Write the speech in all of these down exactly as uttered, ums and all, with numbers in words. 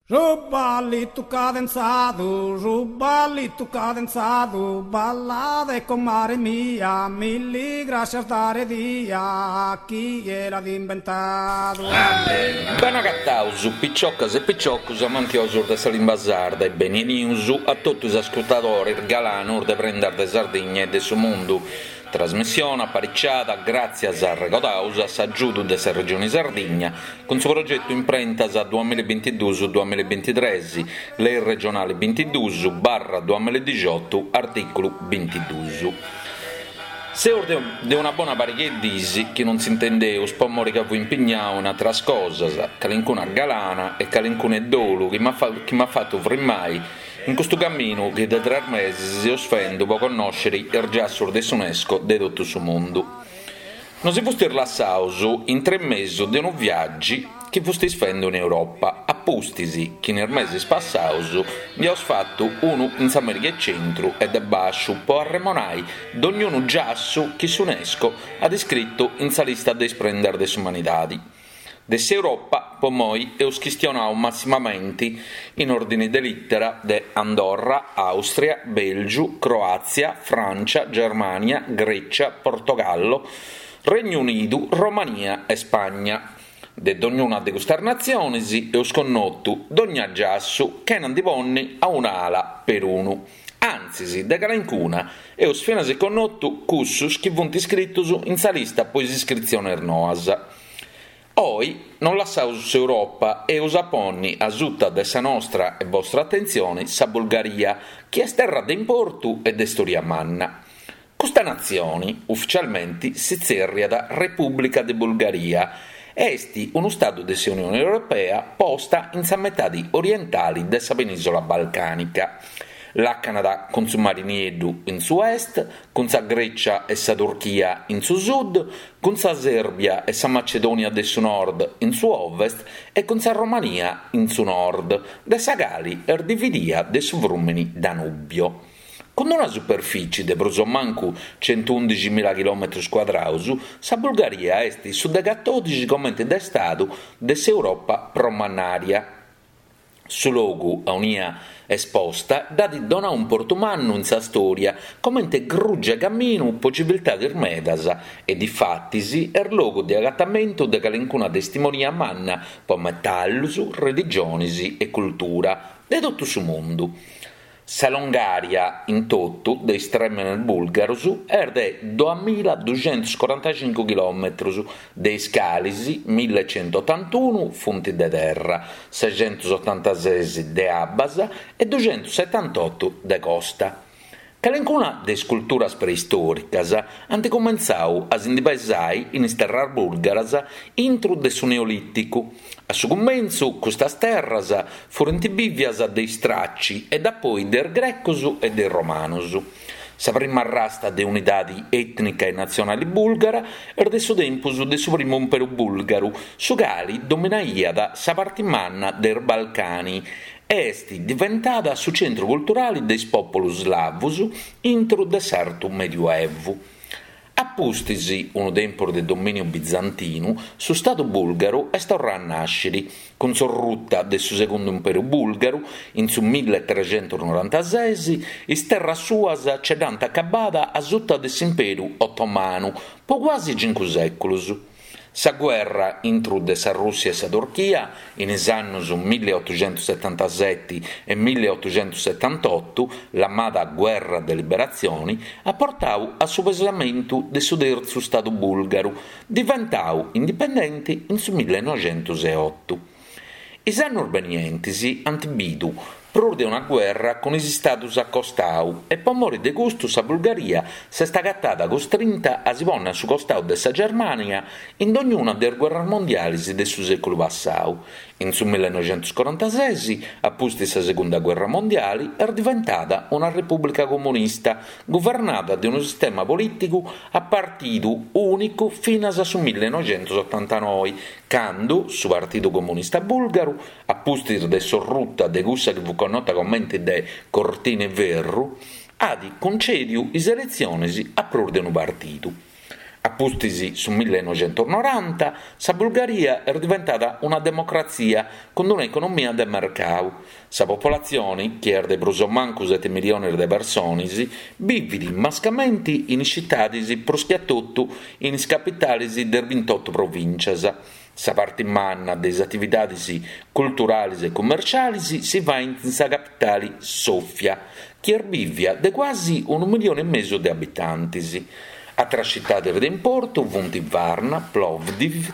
Su ballitu cadenzadu, su ballitu cadenzadu, ballade comare mia, milli grascias dare dia, chie l'at imbentadu. Bene agataus, piciocas e piciocus amantiosus de sa limba sarda e beni 'enius a totu is ascurtadores galanos de Prendas de Sardigna e de su mundu. Trasmissione apariciada gràtzias arregodaus a s'agiudu de sa Regione Sardigna cun su progetu Imprentas duamilla e bintiduus duamilla e bintitres, Lei regionale bintiduus barra duamilla e dixiotu, artìculu bintiduus. Seus de una bona pariga 'e dis chi non s'intendeus po mori ca fui impignau in ateras cosas, calincuna galana e calincuna 'e dolu chi m'at fatu frimmai in custu caminu chi de tres mesis seus fendu po connòscere is giassus de s'UNESCO de totu su mundu. Nos si fustis lassaus intre mesu de unu viàgiu chi fustis fendu in Europa, a pustis chi in is mesis passaus nd'iaus fatu unu in s'America 'e Centru e de Bàsciu po arremonai dognunu giassu chi s'UNESCO at iscritu in sa lista de is prendas de s'umanidadi. De s'Europa, po moi, eus chistionau massimamenti, in ordini de lìtera, de Andorra, Àustria, Bèlgiu, Croàtzia, Frància, Germània, Grècia, Portogallo, Regnu Unidu, Romania e Spagna. De dognuna de custas natziones eus connotu dogna giassu chena ndi ponni a un'ala perunu. Antzis, de calencuna eus finas connotu cussus chi funt iscritos in sa lista po is iscritziones noas. Oi non lassaus s'Europa e eus a ponni a suta de sa nostra e bostra atentzione sa Bulgaria, chi est terra de importu e de storia manna. Custa natzione, ufficialmente, si tzerriat Repùblica de Bulgaria e est unu stadu de s'Unione Europea posta in sa metade orientale de sa penìsola balcànica. Làcanat cun su Mari Nieddu in su est, cun sa Grècia e sa Turchia in su sud, cun sa Sèrbia e sa Macedònia de su Nord in su ovest e cun sa Romania in su nord, de sa cale est dividia de su frùmene Danubio. Cun una superficie de prus o mancu centundixi mila chilòmetros cuadrados, sa Bulgaria est su de catòdixi comente de stadu de s'Europa pro mannària. Su logu aunia est posta dd'at donadu importu mannu in sa storia comente gruge 'e caminu pro civiltades medas e difatis est logu de agatamentu de calencuna testimonia manna pro metallus, religiones e cultura de totu su mundu. Sa longària in totu de is trèmenes bùlgaros est de duamilla duxentus corantacincu chilòmetros, de is cales millecentotantunu funt de terra, sescentosotantases de abbas e duxentosetantotu de costa. Calencuna de is culturas preistòricas ant cumentzadu a si ndi pesare in is terras bùlgaras intro de su Neolìticu. A su cumentzu custas terras furint bìvias de is Traci e dapoi de is Grecos e de is Romanos. Sa prima rasta de unidade ètnica e natzionale bùlgara est de su tempus de su primu imperu bùlgaru, su cale dominaiat sa parte manna de is Balcani e est diventada su centru culturale de is pòpulos slavos intro de s'Artu Medioevu. A pustis unu tempus de domìniu bizantinu, su Stadu bùlgaru est torradu a nàschere, cun s'orruta de su segundu imperu bùlgaru in su milletrecentonorantases, is terras suas nche dd'ant acabada a suta de s'imperu otomanu pro cuasi cincu sèculos. Sa guerra intro de sa Rùssia e sa Turchia in is annos milleotoxentosetantasete e milleotoxentosetantotu, lamada Guerra de Liberatzione, at portadu a su pesamentu de su tertzu Stadu bùlgaru, diventadu indipendente in su millenoixentoseotu. Is annos benientes ant bidu prus de una guerra cun is istados a costadu e pro more de custu sa Bulgaria s'est agatada custrinta a si pònnere a su costadu de sa Germània in dognuna de is guerras mondiales de su sèculu passadu. In su millenoixentocorantases, a pustis sa segunda guerra mondiale, est diventada una repùblica comunista guvernada de unu sistema polìticu a partidu ùnicu finas a su millenoixentotantanoe, cando su Partidu Comunista Bùlgaru, a pustis de s'orruta de cussa chi fut connota comente de Cortina 'e Ferru, at cuncèdiu is eletziones a prus de unu partidu. A pustis su millenoixentusnoranta, sa Bulgaria est diventada una democratzia cun una economia de mercadu. Sa popolatzione, chi est de prus o mancu sete miliones de persones, bivit mascamente in is tzitades prus che a totu in is capitales de is bintioto provìntzias. Sa parte manna de is atividades culturales e cummertziales si faent in sa capitale Sòfia, chi est bìvia de cuasi unu milione e mesu de abitantes. Àteras tzitades de importu sunt Varna, Plovdiv,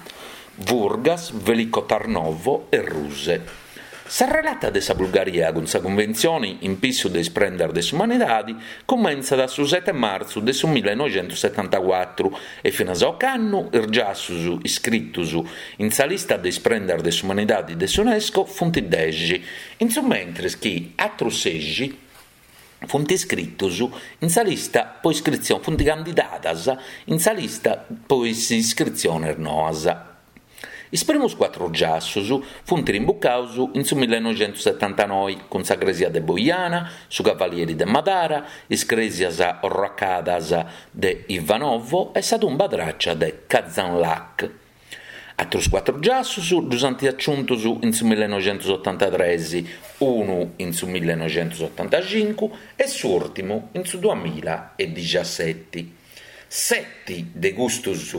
Burgas, Veliko Tarnovo e Ruse. Sa relata de sa Bulgaria cun sa Cunventzione in pissu de is prendas de s'umanidade cumentzat su sete martzu de su millenoixentussetantacuatru e finas a ocannu is giassos iscritos in sa lista de is prendas de s'umanidade de s'UNESCO sunt dexi, in su mentres chi àteros sexi funt iscritos in sa lista po iscritzione, funt candidadas in sa lista po is iscritziones noas. Is primos cuatru giassos funt imbucados in su millenoixentussetantanoe cun sa crèsia de Boiana, su Cavalieri de Madara, is crèsias orrocadas de Ivanovo e sa tumba tràcia de Kazanlak. Àteros cuatru giassos ddos ant aciuntos in su millenoixentusotantatrès, unu in su millenoixentusotantacincu e s'ùrtimu in su duamilla e diciasete. Sete de custos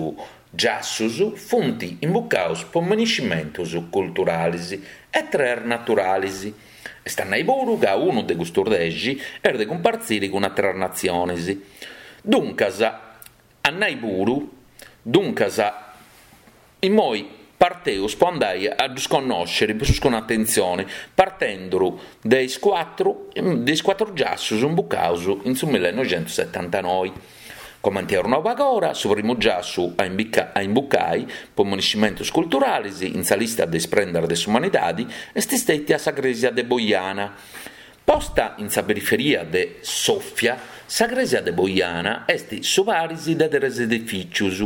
giassos funt imbucados po miniscimentos culturales e tres naturales. Est a nai puru ca unu de custos dexi est de cumpartzire cun àteras natziones. Duncas, a nai puru, duncas, immoi parteus po andai a ddus connòscere prus cun atentzione, partendo de is cuatru, de is cuatru giassos imbucados in su millenoixentusetantanoe. Comente eus nau agora, su primu giassu a, imbica, a imbucai po miniscimentos culturales in sa lista de is prendas de s'umanidade est istètia sa crèsia de Boiana. Posta in sa periferia de Sòfia, sa crèsia de Boiana est su paris de tres edifìtzios.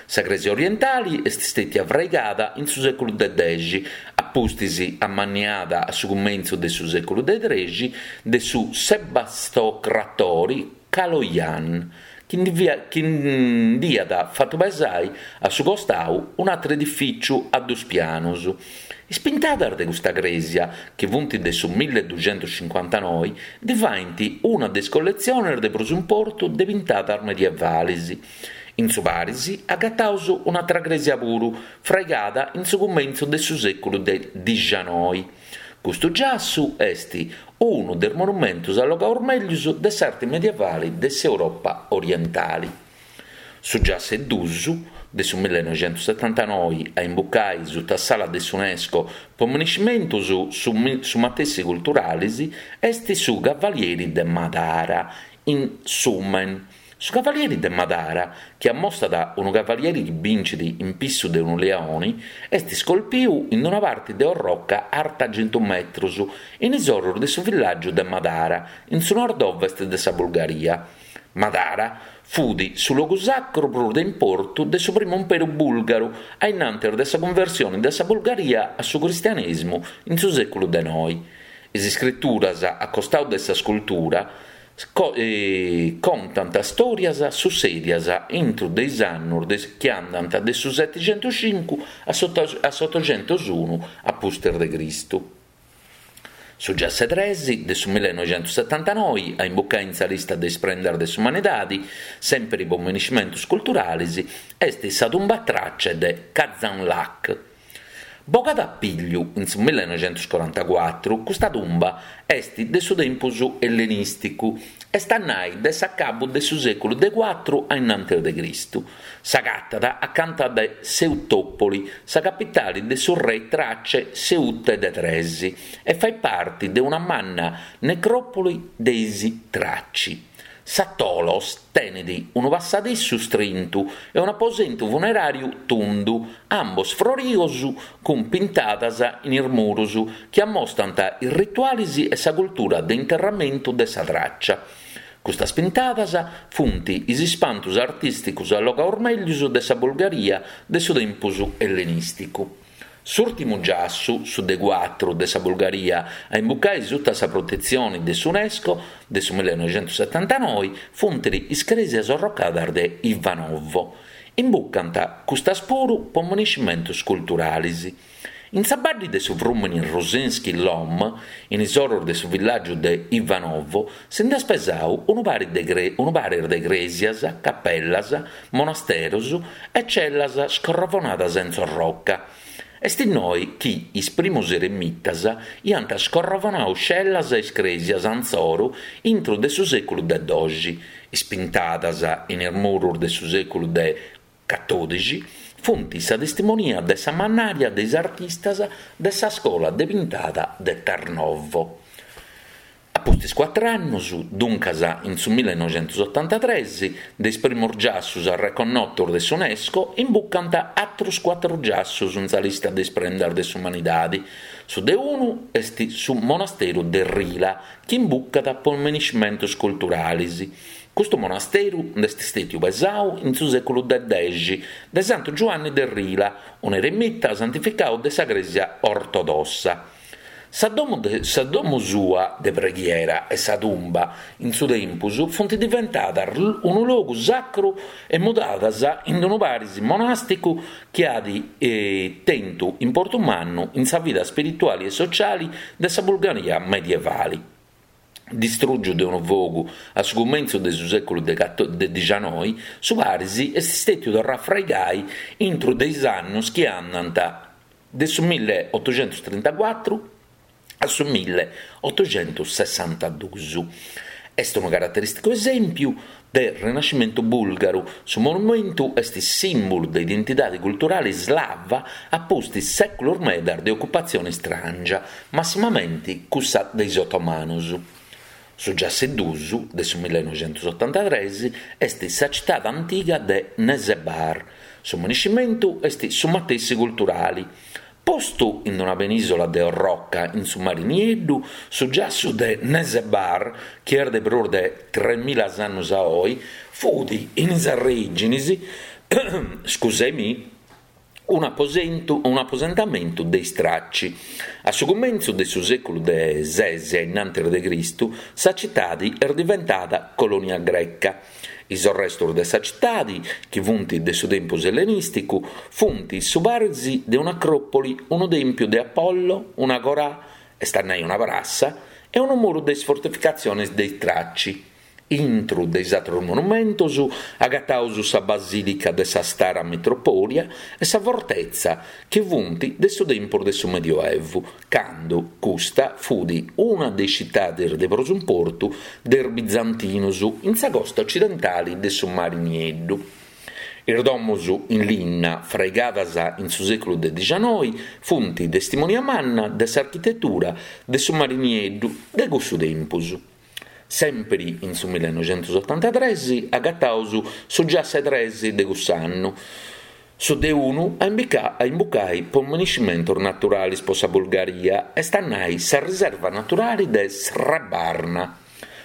Sa crèsia orientale est istètia fraigada in su sèculu de dexi, a pustis amanniada a su cumentzu de su sèculu de trexi de su sebastocratori Kaloyan, chi nd'iat fatu pesai a su costau un'àteru edifìtziu a duos pianos. Is pintadas de custa crèsia, chi funt de su milleduxentuscincuantanoe, ndi faint una de is colletziones de prus importu de pintadas medievales. In su paris agataus un'àtera crèsia puru, fraigada in su cumentzu de su sèculu de dicianoe. Custu giassu est unu de is monumentos allogados mègius de s'arte medievale de s'Europa orientale. Su giassu e dus, de su millenoixentusetantanoe a imbucai sutta s'ala de s'UNESCO po miniscimentos su, su matessi culturales est su Cavalieri de Madara in Sumen. Su Cavalieri de Madara, chi ammostat unu cavalieri chi bincit in pissu de unu leone, est scolpiu in una parte de orroca arta chentu metros, in is oros de su villàgiu de Madara, in su nord-ovest de sa Bulgaria. Madara fut su logu sacru prus de importu de su primu imperu bùlgaru, a innantis de sa cunversione de sa Bulgaria a su cristianesimo in su sèculu de noe. Is iscrituras a costau de sa scultura co- eh, contant stòrias sussèdias intro de is annos de, chi andant de su settexentuscincu a s'ottoxentusunu a pustis de Cristu. Su giassu tres de su millenoixentusetantanoe a imbucai in sa lista de is prendas de s'umanidade, sempre po miniscimentos culturales, est sa tumba trace de Kazanlak. Bogada a pigliu in su millenoixentuscorantacuatru, custa tumba est de su tempus ellenìsticu, est a nai de s'acabu de su sèculu de cuatru a innantis de Cristu. S'agatat acanta de Seutòpoli, sa capitale de su re Trace Seute de Tres, e fait parte de una manna necròpoli de is Traci. Sa Tholos tenet unu passadissu strintu e un'aposentu funeràriu tundu, ambos froridos cun pintadas in is muros chi ammostant is rituales e sa cultura de interramentu de sa Tràcia. Custas pintadas funt is ispantos artìsticos allogados mègius de sa Bulgaria de su tempus ellenìsticu. S'ùrtimu giassu, su de cuatru de sa Bulgaria, a imbucai sutta sa protetzione de s'UNESCO de su millenoixentusetantanoe, funt is crèsias orrocadas de Ivanovo. Imbucant custas puru po monumentos culturales. In sa badde de su frùmene Rusinski Lom, in is oros de su villàgiu de Ivanovo, si nd'est pesadu unu paris de, cre- unu paris de crèsias, capellas, monasteros e cellas scorrovonadas in roca. Est innoi chi is primos eremitas iant scorrovonadu cellas e crèsias insoru intro de su sèculu de dòixi, ispintadas in is muros de su sèculu de catòdixi, funt sa testimonia de sa mannària de is artistas de sa scola de pintada de Tarnovo. A pustis cuatru annos, duncas in su millenoixentosotantatrès, de is primos giassos arreconnotos de s'UNESCO imbucant àteros cuatru giassos in sa lista de is prendas de s'umanidade. Su de unu est su monasteru de Rila, chi imbucat po monumentos culturales. Custu monasteru nd'est istètiu pesadu in su sèculu de dexi de Santu Giuanni de Rila, un'eremita santificadu de sa Crèsia ortodossa. Sa domo, de, sa domo sua de preghiera e sa tumba in su tempus funt diventadas unu logu sacru e mudadas in unu paris monàsticu chi at eh, tentu importu mannu in sa vida spirituale e sociale de sa Bulgaria medievale. Distrùgiu de unu fogu a su cumentzu de su sèculu de, de dicianoi, su paris est istètiu torradu a fraigai intro de is annos chi andant de su milleotoxentotrintacuatru a su milleotoxentosessantaduus. Est unu caraterìsticu esèmpiu de Rinascimentu bùlgaru. Su monumentu est sìmbulu de identidade culturale slava a pustis sèculos medas de ocupatzione istràngia, massimamente cussa de is otomanos. Su giassu duus de su millenoixentosotantatrès est sa citade antiga de Nesebar. Su monumentu est su matessi culturale. Postu in una penìsola de orroca in su Mare Nieddu, su giassu de Nesebar, chi est de prus de tremila annos a oe, fut in is orìgines, scusemi, un aposentu, un aposentamentu de is Traci. A su cumentzu de su sèculu de ses innantis de Cristu, sa citade est diventada colonia greca. Is restos de sa citade, chi funt de su tempus ellenìsticu, funt su paris de un'acròpoli, unu tèmpiu de Apollo, un'agorà, est a nai una prassa, e unu muru de is fortificatziones de is Traci. Intro de is àteros monumentos agataus sa Basìlica de sa Stara Mitropolia e sa fortezza chi funt de su tempus de su Medioevu, cando custa fut una de is citades de prus importu de is bizantinos in sa costa occidentale de su Mare Nieddu. Is domos in linna, fraigadas in su sèculu de dicianoi, funt testimonia manna de s'architetura de su Mare Nieddu de cussu tempus. Sempre in su millenoixentosotantatrès agataus su giassu tres de cuss'annu, su de unu a, imbica, a imbucai po monumentos naturales po sa Bulgaria, est a nai sa riserva naturale de Srebarna.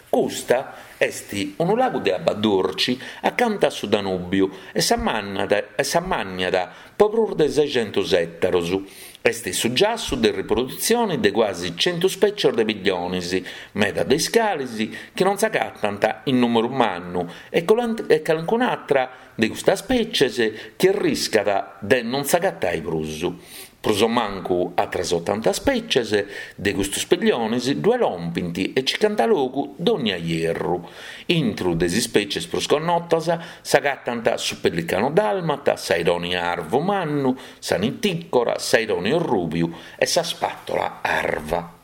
Custa est unu lagu de abba durci acanta a su Danùbiu e s'ammànniat po prus de seixentos ètaros. Est su giassu de riprodutzione de quasi cento spècies de pilliones, meda de is cales chi non s'agatant in nùmeru mannu e calincun'atra de custas spècies chi arriscat de non s'agatare prus. Prus o mancu atras otanta spècies de custos pilliones ddoe lompint e circant logu dònnia ierru. Intro de is spècies prus connotas s'agatant su pellicano dalmata, s'aironi arvu mannu, sa nitìcora, s'aironi orrùbiu e sa spatola arva.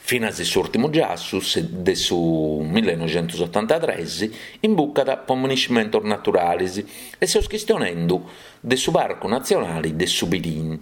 Finas s'ùrtimu giassu de su millenoixentosotantatrès imbucat po monumentos naturales e seus chistionendu de su Parcu Natzionale de su Pirin.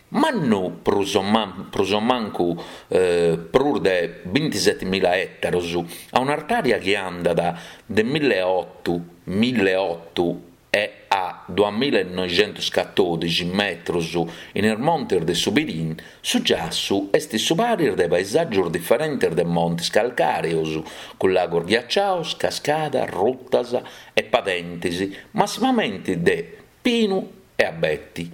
Mannu prus o, man, prus o mancu eh, prus de bintisetemila ètaros, a un'artària chi andat de milleoto, milleoto e a duamillanoixentoscatòdixi metros in is montes de su Pirin, su giassu est su paris de paesàgios diferentes de montes calcàreos, cun lagos ghiacciados, cascadas, rutas e padentes, massimamente de pinu e abeti.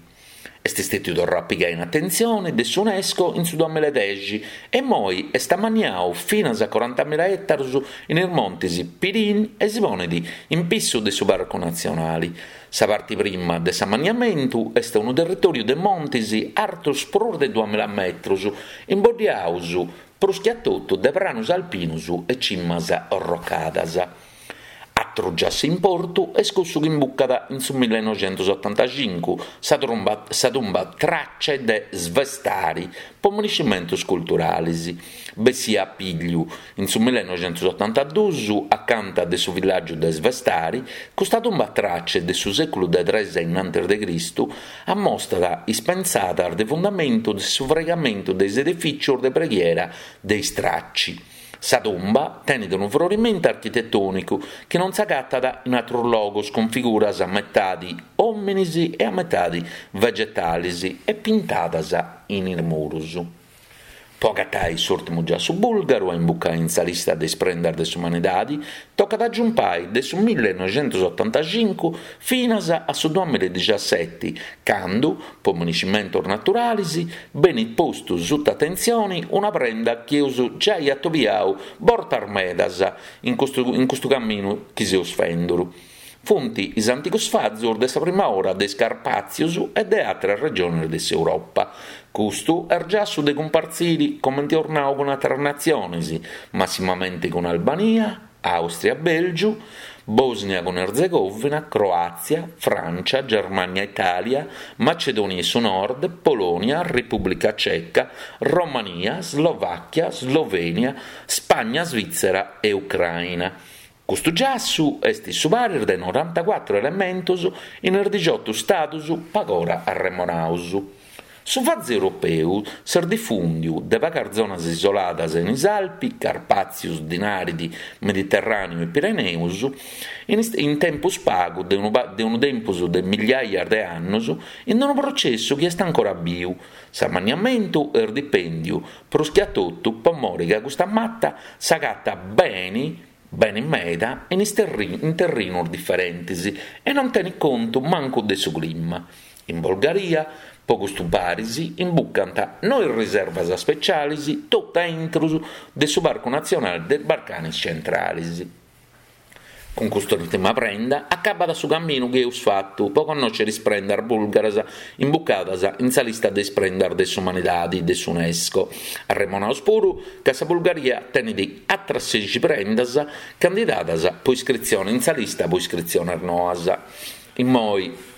Est Est stetiu torrau a pigai in atentzioni de s'UNESCO in su duamilla e dexi e immoi est amanniau finas a corantamilla ètarus in is montis Pirin e si ponit in pissu de su Parcu Natzionali. Sa parti prima de s'amanniamentu est unu territòriu de montis artus prus de duamilla metrus, imboddiaus prus che a totu de pranus alpinus e cimas orrocadas. Atru giassu importu est cussu chi imbucat in su millenoixentusotantacincu, sa trumba sa tumba Trace de Svestari po miniscimentus culturalis. Bessia a pigliu in su millenoixentusotantaduus acanta de su villàgiu de Svestari, custa tumba Trace de su sèculu de tres innantis de Cristu ammostat is pensadas de fundamentu de su fraigamentu de is edifìtzios de preghiera de is Traci. Sa tumba tenet unu frorimentu architetònicu chi non s'agatat in àteros logos cun figuras a metade òmines e a metade vegetales e pintadas in is muros. Po agatai s'ùrtimu giassu bùlgaru a imbucai in sa lista de is prendas de s'umanidadi, tocat a giumpai de su millenoixentusotantacincu finas a su duamilla e dixaseti, candu, po miniscimentos naturales, benit postu suta atentzione una prenda chi eus giai atobiau bortas medas in custu in custu caminu chi seus fenduru. Funt is antigos fazos de sa prima ora de is Carpàtzios e de àteras regiones de s'Europa. Custu est giassu de cumpartzire, comente eus nau, cun àteras natziones, massimamente cun Albania, Àustria, Bèlgiu, Bòsnia cun Erzegovina, Croàtzia, Frància, Germània, Itàlia, Macedònia 'e su Nord, Polònia, Repùblica Ceca, Romania, Slovàchia, Slovènia, Spagna, Svìtzera e Ucraina. Custu giassu est su paris de norantacuatru elementos in is dixiotu stados pagora arremonados. Su fazu europeu s'est difùndiu de pagas zonas isoladas in is Alpi, Carpàtzios, Dinàridi, Mediterràneu e Pireneus, in in tempus pagu de unu de unu tempus de migliaias de annos, in unu processu chi est ancora biu. S'amanniamentu est dipèndiu prus che a totu po more ca custa mata s'agatat beni beni meda in is terri in terrinos diferentes e non tenet contu mancu de su clima. In Bulgaria, po custu paris, imbucant noe riservas speciales totu a intro de su Parcu Natzionale de is Balcanes Centrales. Cun custa ùrtima prenda acabat su caminu chi eus fatu po connòschere is prendas bùlgaras imbucadas in sa lista de is prendas de s'umanidade de s'UNESCO. Arremonaus puru ca sa Bulgaria tenet àteras sexi prendas candidadas po iscritzione in sa lista po iscritziones noas. Immoi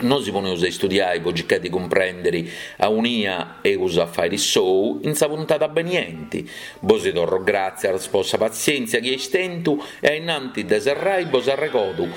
nosi poneus a istudiai po circai de cumprèndere aunia eus a fàere s'ou in sa puntada benienti. Bosi torro gràtzias po sa patzièntzia chi eis tentu e a innanti de serrai bos arregodu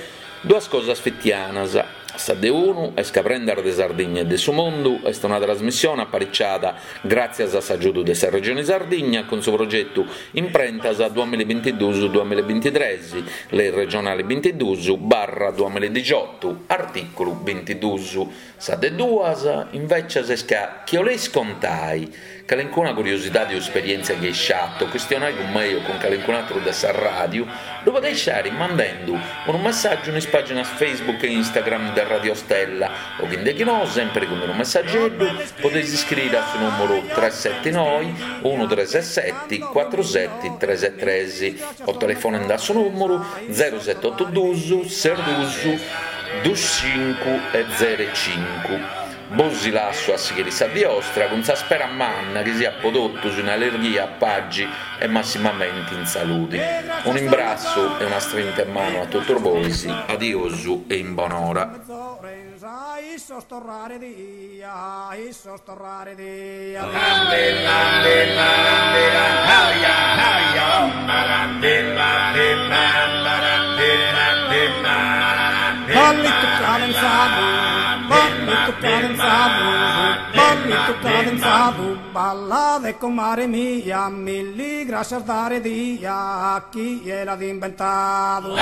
duas cosas fitianas. Sa de unu est ca Prendas de Sardigna e de su Mundu est una trasmissione apariciada gràtzias a s'agiudu de sa Regione Sardigna cun su progetu Imprentas duamillabintiduus duamillabintitres, Lei regionale bintiduus barra duamilladixiotu, artìculu bintiduus. Sa de duas, invècias, est ca chi 'oleis contai calincuna curiosidadi o esperièntzia chi eis fatu o chistionai cun mei o cun calincun'atru de sa ràdiu, ddu podeis fàere mandendu unu messàgiu in is pàginas Facebook e Instagram de Radio Stella o chi ndechinò, sèmpiri cun unu messageddu, podeis iscriri a su nùmeru tres seti noi unu tres seti cuatru seti tres tres o telefonendi a su nùmeru zeru seti otu duus ses duus dus cincu e zero cincu. Bosi lassu a sighiri sa die 'ostra cun sa spera manna chi siat po totus in allirghia, pagi e massimamenti in saludi. Un'imbrassu e una strinta 'e manu a totus bois, adiosu e in bonora. Ballitu cadenzadu, ballitu cadenzadu, ballitu cadenzadu, ballade comare mia, milli grascias dare dia a chie l'at inventadu.